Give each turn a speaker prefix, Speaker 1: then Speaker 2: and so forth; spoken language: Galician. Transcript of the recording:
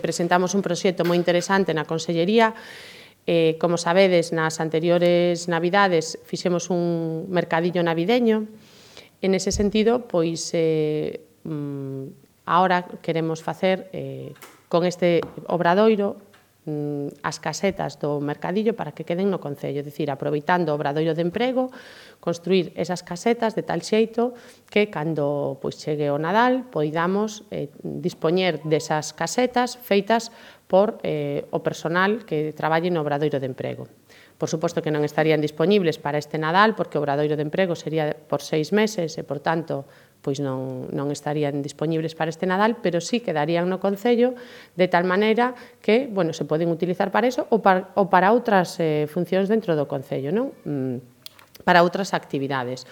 Speaker 1: Presentamos un proxecto moi interesante na Consellería. Como sabedes, nas anteriores Navidades fixemos un mercadillo navideño. En ese sentido, pois, agora queremos facer con este obradoiro as casetas do mercadillo para que queden no Concello, é dicir, aproveitando o obradoiro de emprego, construir esas casetas de tal xeito que cando chegue o Nadal poidamos dispoñer desas casetas feitas por o personal que traballe no obradoiro de emprego. Por suposto que non estarían disponibles para este Nadal porque o obradoiro de emprego sería por 6 meses e, por tanto, pois non estarían disponibles para este Nadal, pero sí quedarían no Concello de tal maneira que, bueno, se poden utilizar para iso ou para outras funcións dentro do Concello, non? Para outras actividades.